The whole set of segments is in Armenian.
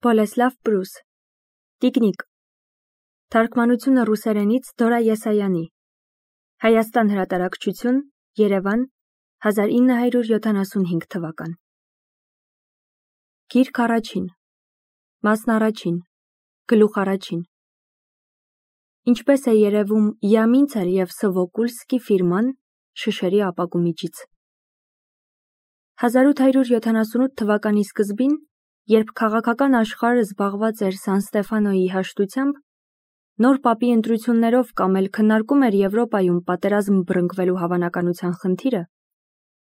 Բոլեսլավ Պրուս Տիկնիկ Թարգմանությունը ռուսերենից Դորա Եսայանի Հայաստան հրատարակչություն Երևան 1975 թվական Գիրք առաջին Մասն առաջին Գլուխ առաջին Ինչպես է երևում Յամինցել և Սովոկուլսկի ֆիրման շշերի ապակու միջից 1878 թվականի սկզբին, երբ քաղաքական աշխարհը զբաղված էր Սան Ստեֆանոյի հաշտությամբ, նոր պապի ընտրություններով կամ էլ քննարկում էր Եվրոպայում պատերազմ բռնկվելու հավանականության խնդիրը,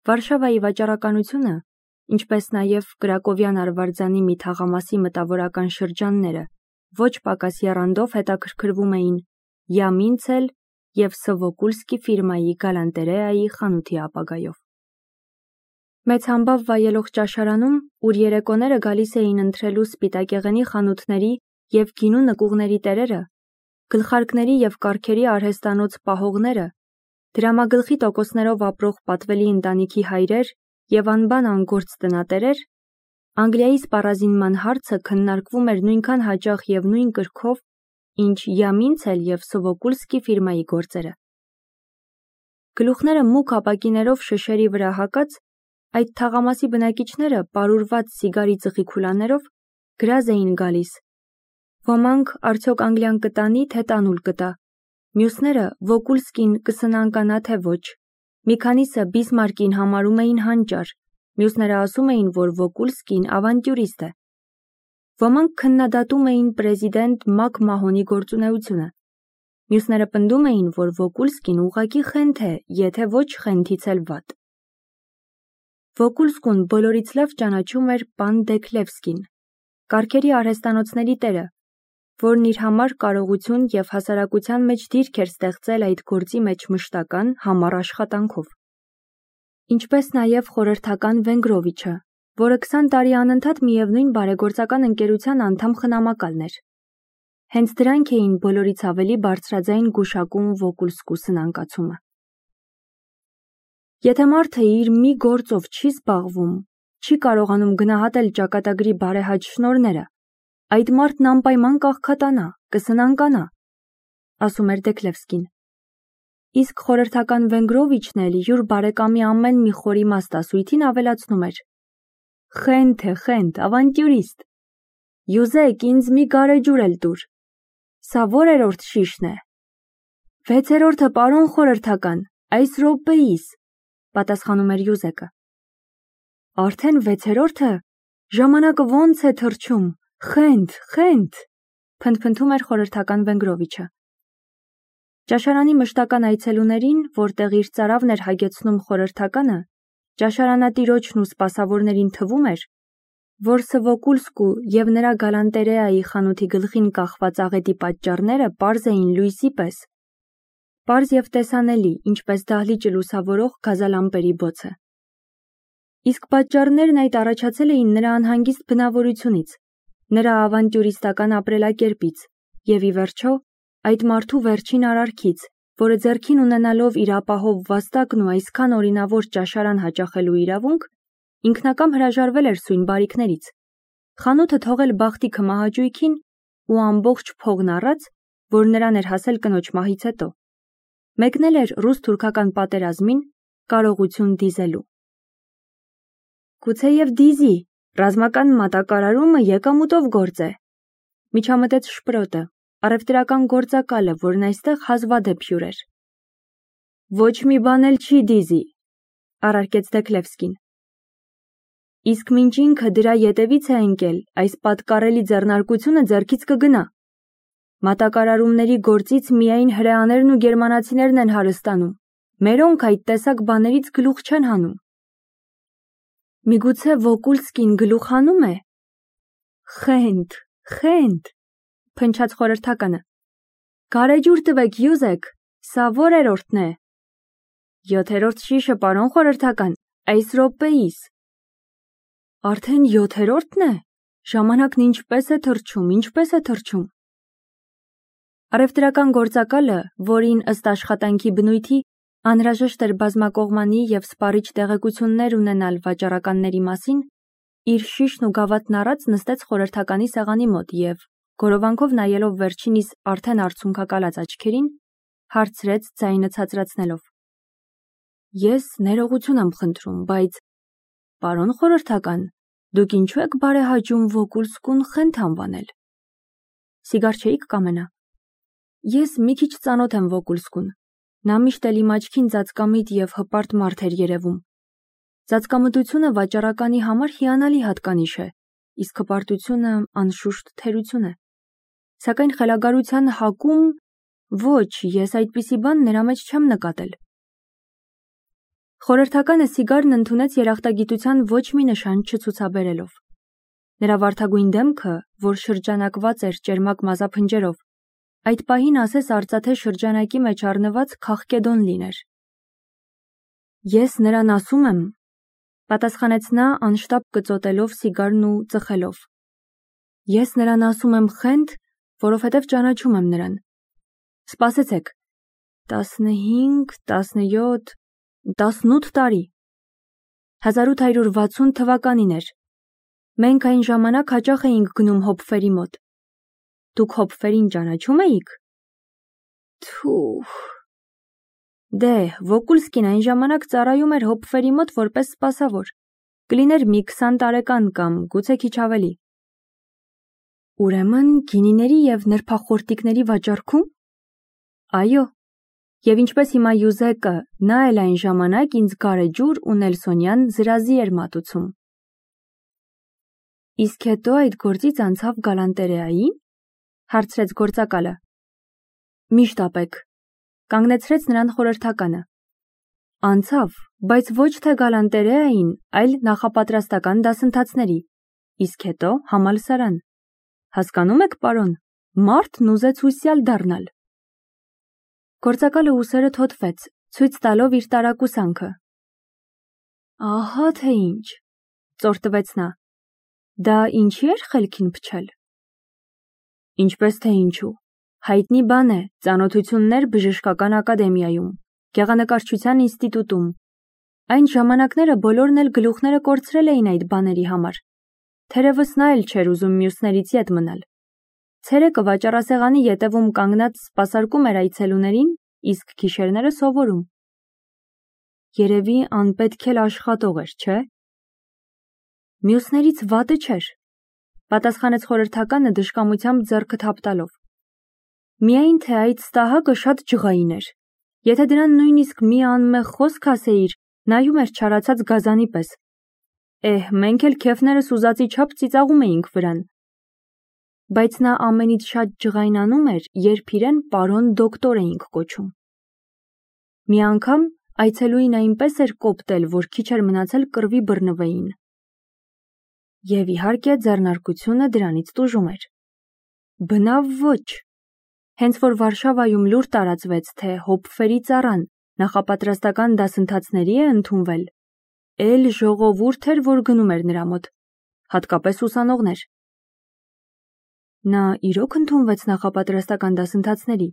Վարշավայի վաճառականությունը, ինչպես նաև Կրակովյան արվարձանի մի թաղամասի մտավորական շրջանները, ոչ պակաս եռանդով հետաքրքրվում էին Յամինցել և Սովոկուլսկի ֆիրմայի գալանտերեայի խանութի ապագայով։ Մեծ համբավ վայելող ճաշարանում, ուր երեկոները գալիս էին ընթրելու սպիտակեղենի խանութների և գինու նկուղների տերերը, գլխարկների և կառքերի արհեստանոց պահողները, դրամագլխի տոկոսներով ապրող պատվելի ընտանիքի հայրեր և անբան անգործ տնատերեր, Անգլիայի սպառազինման հարցը քննարկվում էր նույնքան հաճախ և նույն կրքով, ինչ Յամինցել և Սովոկուլսկի ֆիրմայի գործերը։ Գլուխները մուգ ապակիներով շշերի վրա հագած, այդ թաղամասի բնակիչները պարուրված սիգարի ծխի քուլաներով գրազ էին գալիս։ Ոմանք արդյոք Անգլիան կտանի, թե տանուլ կտա, մյուսները Վոկուլսկին կսնանկանա, թե ոչ, մի քանիսը Բիսմարկին համարում էին հանճար, մյուսները ասում էին, որ Վոկուլսկին ավանտյուրիստ է։ Ոմանք քննադատում էին պրեզիդենտ Մակ Մահոնի գործունեությունը, մյուսները պնդում էին, որ Վոկուլսկին ուղղակի խենթ է, եթե ոչ խենթից էլ վատ։ Վոկուլսկուն բոլորից լավ ճանաչում էր պան Դեքլևսկին, կառքերի արհեստանոցների տերը, որն իր համար կարողություն և հասարակության մեջ դիրք էր ստեղծել այդ գործի մեջ մշտական, համառ աշխատանքով։ Ինչպես նաև խորհրդական Վենգրովիչը, որը 20 տարի անընդհատ միևնույն բարեգործական ընկերության անդամ խնամակալն էր։ Հենց դրանք էին բոլորից ավելի բարձրաձայն գուշակում Վոկուլսկու սնանկացումը։ Եթե մարդը իր մի գործով չի զբաղվում, չի կարողանում գնահատել ճակատագրի բարեհաճ շնորհները, այդ մարդն անպայման կաղքատանա, կսնանկանա, ասում էր Դեքլևսկին։ Իսկ խորհրդական Վենգրովիչն էլ յուր բարեկամի ամեն մի խոր իմաստասույթին ավելացնում էր. Խենթ է, խենթ, ավանտյուրիստ։ Յուզեկ, ինձ մի գարեջուր էլ տուր։ Սա որերորդ շիշն է։ 6-րդը, պարոն խորհրդական, այս րոպեիս, պատասխանում էր Յուզեկը։ Արդեն 6-րդը, ժամանակը ոնց է թռչում, խենթ, խենթ, փնթփնթում էր խորհրդական Վենգրովիչը։ Ճաշարանի մշտական այցելուներին, որտեղ իր ծարավն էր հագեցնում խորհրդականը, ճաշարանատիրոջն ու սպասավորներին թվում էր, որ Սովոկուլսկու և նրա գալանտերեայի խանութի գլխին կախված աղետի պատճառները պարզ էին լույսի պես, պարզ և տեսանելի, ինչպես դահլիճը լուսավորող գազալամպերի բոցը։ Իսկ պատճառներն այդ առաջացել էին նրա անհանգիստ բնավորությունից, նրա ավանտյուրիստական ապրելակերպից և ի վերջո այդ մարդու վերջին արարքից, որը ձեռքին ունենալով իր ապահով վաստակն ու այսքան օրինավոր ճաշարան հաճախելու իրավունք, ինքնակամ հրաժարվել էր սույն բարիքներից, խանութը թողել բախտի քմահաճույքին ու ամբողջ փողն առած, որ նրան էր հասել կնոջ մահից հետո, մեկնել էր ռուս-թուրքական պատերազմին կարողություն դիզելու։ Գուցեև դիզի, ռազմական մատակարարումը եկամուտով գործ է, միջամտեց Շպրոտը, առևտրական գործակալը, որն այստեղ հազվադեպ հյուր էր։ Ոչ մի բան էլ չի դիզի, առարկեց Դեքլևսկին։ Իսկ մինչ ինքը դրա ետևից է ընկել, այս պատկառելի ձեռնարկությունը ձեռքից կգնա։ Մատակարարումների գործից միայն հրեաներն ու գերմանացիներն են հարստանում, մերոնք այդ տեսակ բաներից գլուխ չեն հանում։ Միգուցե Վոկուլսկին գլուխ հանում է։ Խենթ, խենթ, փնչաց խորհրդականը։ Գարեջուր տվեք, Յուզեկ, սա որերորդն է։ 7-րդ շիշը, պարոն խորհրդական, այս րոպեիս։ Արդեն 7-րդն է։ Ժամանակն ինչպես է թռչում, ինչպես է թռչում։ Առևտրական գործակալը, որին ըստ աշխատանքի բնույթի անհրաժեշտ էր բազմակողմանի և սպառիչ տեղեկություններ ունենալ վաճառականների մասին, իր շիշն ու գավաթն առած նստեց խորհրդականի սեղանի մոտ և, գորովանքով նայելով վերջինիս արդեն արցունքակալած աչքերին, հարցրեց ձայնը ցածրացնելով. Ես ներողություն եմ խնդրում, բայց պարոն խորհրդական, դուք ինչու եք բարեհաճում Վոկուլսկուն Խենթ անվանել։ Սիգար չէիք կամենա։ Ես մի քիչ ծանոթ եմ Վոկուլսկուն։ Նա միշտ էլ իմ աչքին ծածկամիտ և հպարտ մարդ էր երևում։ Ծածկամտությունը վաճառականի համար հիանալի հատկանիշ է, իսկ հպարտությունը անշուշտ թերություն է։ Սակայն խելագարության հակում ոչ, ես այդպիսի բան նրա մեջ չեմ նկատել։ Խորհրդականը սիգարն ընդունեց երախտագիտության ոչ մի նշան չցուցաբերելով։ Նրա վարդագույն դեմքը, որ շրջանակված էր ճերմակ մազափնջերով, այդ պահին ասես արծաթե շրջանակի մեջ առնված քաղկեդոն լիներ։ Ես նրան ասում եմ, պատասխանեց նա անշտապ կծոտելով սիգարն ու ծխելով։ Ես նրան ասում եմ Խենթ, որովհետև ճանաչում եմ նրան։ Սպասեցեք, 15, 17, 18 տարի։ 1860 թվականին էր։ Մենք այն ժամանակ հաճախ էինք գնում Հոփֆերի մոտ։ Դուք Հոփֆերին ճանաչում էիք։ Թուխ։ Դե, Վոկուլսկին այն ժամանակ ծառայում էր Հոփֆերի մոտ որպես սպասավոր։ Կլիներ մի 20 տարեկան կամ գուցե քիչ ավելի։ Ուրեմն գինիների և նրբախորտիկների վաճառքում։ Այո, և ինչպես հիմա Յուզեկը, նա էլ այն ժամանակ ինձ գարեջուր ու նելսոնյան զրազի էր մատուցում։ Իսկ հետո այդ գործից անցավ գալանտերեայի, հարցրեց գործակալը։ Մի շտապեք, կանգնեցրեց նրան խորհրդականը։ Անցավ, բայց ոչ թե գալանտերեային, այլ նախապատրաստական դասընթացների, իսկ հետո համալսարան։ Հասկանում եք, պարոն, մարդն ուզեց հուսյալ դառնալ։ Գործակալը ուսերը թոթվեց, ցույց տալով իր տարակուսանքը։ Ահա թե ինչ, ծորտվեց նա։ Դա ինչի էր խելքին փչել։ Ինչպես թե ինչու, հայտնի բան է, ծանոթություններ բժշկական ակադեմիայում, գեղանկարչության ինստիտուտում։ Այն ժամանակները բոլորն էլ գլուխները կորցրել էին այդ բաների համար։ Թերևս նա էլ չէր ուզում մյուսներից ետ մնալ։ Ցերեկը վաճառասեղանի ետևում կանգնած սպասարկում էր այցելուներին, իսկ գիշերները սովորում։ Երևի անպետք էլ աշխատող էր, չէ։ Մյուսներից վատը չէր, պատասխանեց խորհրդականը դժկամությամբ ձեռքը թափտալով։ Միայն թե այդ ստահակը շատ ջղային էր։ Եթե դրան նույնիսկ մի անմեղ խոսք ասեիր, նայում էր չարացած գազանի պես։ Մենք էլ քեֆներս ուզածի չափ ծիծաղում էինք վրան։ Բայց նա ամենից շատ ջղայնանում էր, երբ իրեն պարոն դոկտոր էինք կոչում։ Մի անգամ այցելուին այնպես էր կոպտել, որ քիչ էր մնացել կռվի բռնվեին։ Եվ իհարկե ձեռնարկությունը դրանից տուժում էր։ Բնավ ոչ։ Հենց որ Վարշավայում լուր տարածվեց, թե Հոփֆերի ծառան նախապատրաստական դասընթացների է ընդունվել, էլ ժողովուրդ էր, որ գնում էր նրա մոտ, հատկապես ուսանողներ։ Նա իրոք ընդունվեց նախապատրաստական դասընթացների։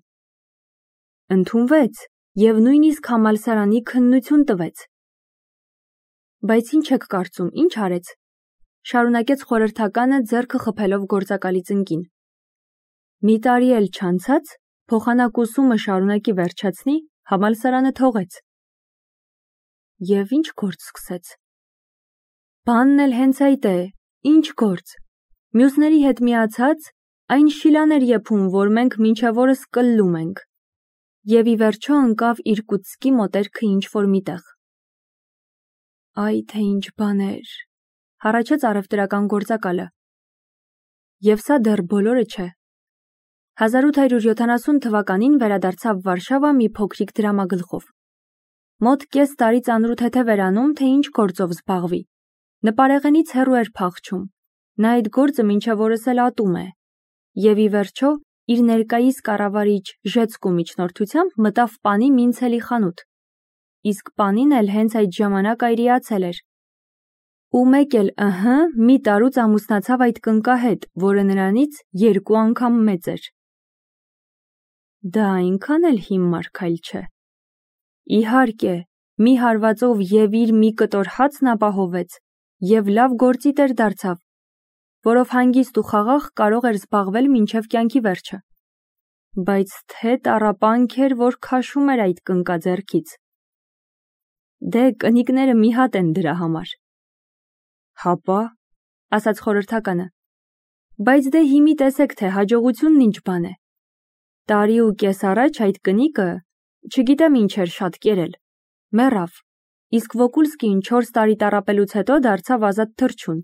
Ընդունվեց և նույնիսկ համալսարանի քննություն տվեց։ Բայց ինչ եք կարծում, ինչ արեց։ Շարունակեց խորհրդականը ձեռքը խփելով գործակալի ծնկին։ Մի տարի էլ չանցած, փոխանակ ուսումը շարունակի վերջացնի, համալսարանը թողեց։ Եվ ինչ գործ սկսեց։ Բանն էլ հենց այդ է, ինչ գործ։ Մյուսների հետ միացած, այն շիլաներ եփում, որ մենք մինչև օրս կլլում ենք։ Եվ ի վերջո ընկավ Իրկուտսկի մոտերքը ինչ-որ միտեղ։ Այ թե ինչ բաներ, հառաչեց առևտրական գործակալը։ Եվ սա դեռ բոլորը չէ։ 1870 թվականին վերադարձավ Վարշավա մի փոքրիկ դրամագլխով։ Մոտ կես տարի ծանրութեթև էր անում, թե ինչ գործով զբաղվի։ Նպարեղենից հեռու էր փախչում։ Նա այդ գործը մինչև օրս էլ ատում է։ Եվ ի վերջո, իր ներկայիս կառավարիչ Ժեցկու միջնորդությամբ մտավ պանի Մինցելի խանութ։ Իսկ պանին էլ հենց այդ ժամանակ այրիացել էր։ Ու մեկ էլ, մի տարուց ամուսնացավ այդ կնկահետ, որը նրանից 2 անգամ մեծ էր։ Դա այնքան էլ հիմար քայլ չէ։ Իհարկե, մի հարվածով և իր մի կտոր հացն ապահովեց, և լավ գործի տեր դարձավ, որով հանգիստ ու խաղաղ կարող էր զբաղվել մինչև կյանքի վերջը։ Բայց թե տառապանք էր, որ քաշում էր այդ կնկաձեռքից։ Դե կնիկները մի հատ են դրա համար։ Հապա, ասաց խորհրդականը, բայց դե հիմի տեսեք, թե հաջողությունն ինչ բան է։ Տարի ու կես առաջ այդ կնիկը, չգիտեմ ինչ էր շատ կերել, մեռավ, իսկ Վոկուլսկին 4 տարի տառապելուց հետո դարձավ ազատ թռչուն,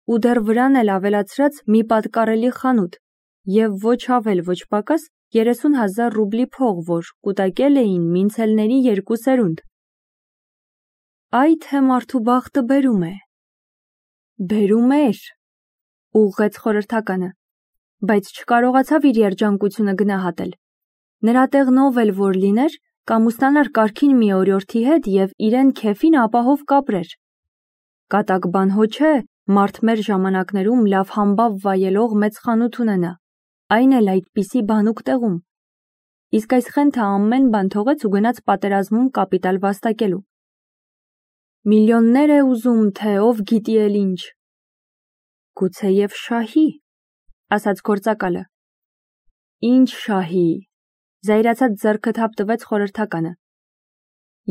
ու դեռ վրան էլ ավելացրած մի պատկառելի խանութ, և ոչ ավել ոչ պակաս 30,000 ռուբլի փող, որ կուտակել էին մինցելների 2 սերունդ։ Այ թե մարդու բախտը բերում է։ Բերում էր, ուղղեց խորհրդականը, բայց չկարողացավ իր երջանկությունը գնահատել։ Նրա տեղն ով էլ որ լիներ, կամուսնանար կարգին մի օրիորդի հետ և իրեն քեֆին ապահով կապրեր։ Կատակ բան հո չէ, մարդ մեր ժամանակներում լավ համբավ վայելող մեծ խանութ ունենա, այն էլ այդպիսի բանուկ տեղում։ Իսկ այս խենթը ամեն բան թողեց ու գնաց պատերազմում կապիտալ վաստակելու։ Միլիոններ է ուզում, թե ով գիտի էլ ինչ։ Գուցեև շահի, ասաց գործակալը։ Ինչ շահի, զայրացած ձեռքը թափ տվեց խորհրդականը։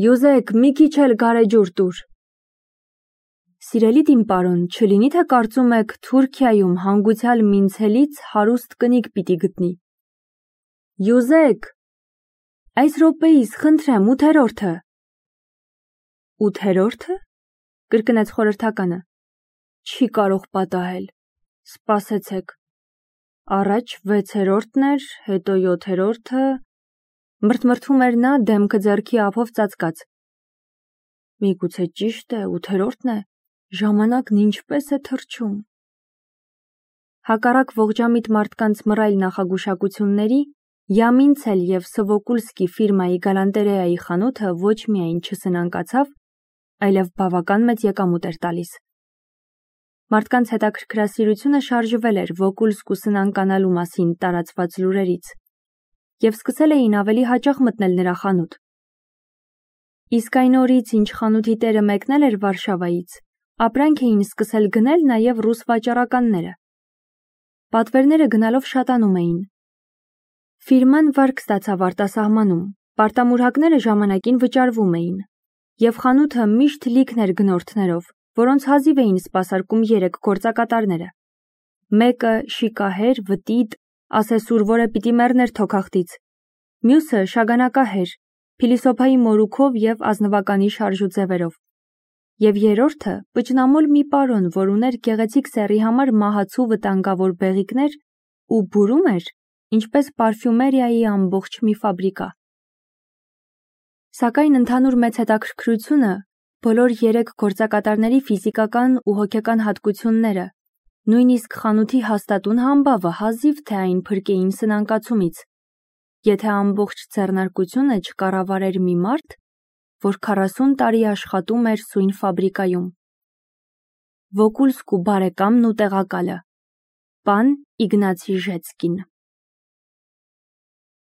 Յուզեկ, մի քիչ էլ գարեջուր տուր։ Սիրելի իմ պարոն, չլինի թե կարծում եք Թուրքիայում հանգուցյալ մինցելից հարուստ կնիկ պիտի գտնի։ Յուզեկ, այս րոպեիս խնդրեմ 8-րդը։ 8-րդը, կրկնեց խորհրդականը։ Չի կարող պատահել, սպասեցեք, առաջ 6-րդն էր, հետո 7-րդը, մրթմրթում էր նա դեմքը ձեռքի ափով ծածկած։ Միգուցե ճիշտ է, 8-րդն է, ժամանակն ինչպես է թռչում։ Հակառակ ողջամիտ մարդկանց մռայլ նախագուշակությունների, Յամինցել և Սվոկուլսկի ֆիրմայի գալանտերեայի խանութը ոչ միայն չսնանկացավ, այլև բավական մեծ եկամուտ էր տալիս։ Մարդկանց հետաքրքրասիրությունը շարժվել էր Վոկուլսկու սնանկանալու մասին տարածված լուրերից, և սկսել էին ավելի հաճախ մտնել նրա խանութ։ Իսկ այն օրից, ինչ խանութի տերը մեկնել էր Վարշավայից, ապրանք էին սկսել գնել նաև ռուս վաճառականները։ Պատվերները գնալով շատանում էին։ Ֆիրման վարկ ստացավ արտասահմանում, պարտամուրհակները ժամանակին վճարվում էին, և խանութը միշտ լիքն էր գնորդներով, որոնց հազիվ էին սպասարկում 3 գործակատարները։ Մեկը շիկահեր, վտիտ, ասեսուր, որը պիտի մեռներ թոքախտից, մյուսը շագանակահեր, փիլիսոփայի մորուքով և ազնվականի շարժու ձևերով, և երրորդը պճնամոլ մի պարոն, որ ուներ գեղեցիկ սեռի համար մահացու վտանգավոր բեղիկներ ու բուրում էր, ինչպես պարֆյումերիայի ամբողջ մի ֆաբրիկա։ Սակայն ընդհանուր մեծ հետաքրքրությունը բոլոր 3 գործակատարների ֆիզիկական ու հոգեկան հատկությունները, նույնիսկ խանութի հաստատուն համբավը հազիվ թե այն փրկեին սնանկացումից, եթե ամբողջ ձեռնարկությունը չկառավարեր մի մարդ, որ 40 տարի աշխատում էր սույն ֆաբրիկայում։ Վոկուլսկու բարեկամն ու տեղակալը, պան Իգնացի Ժեցկին։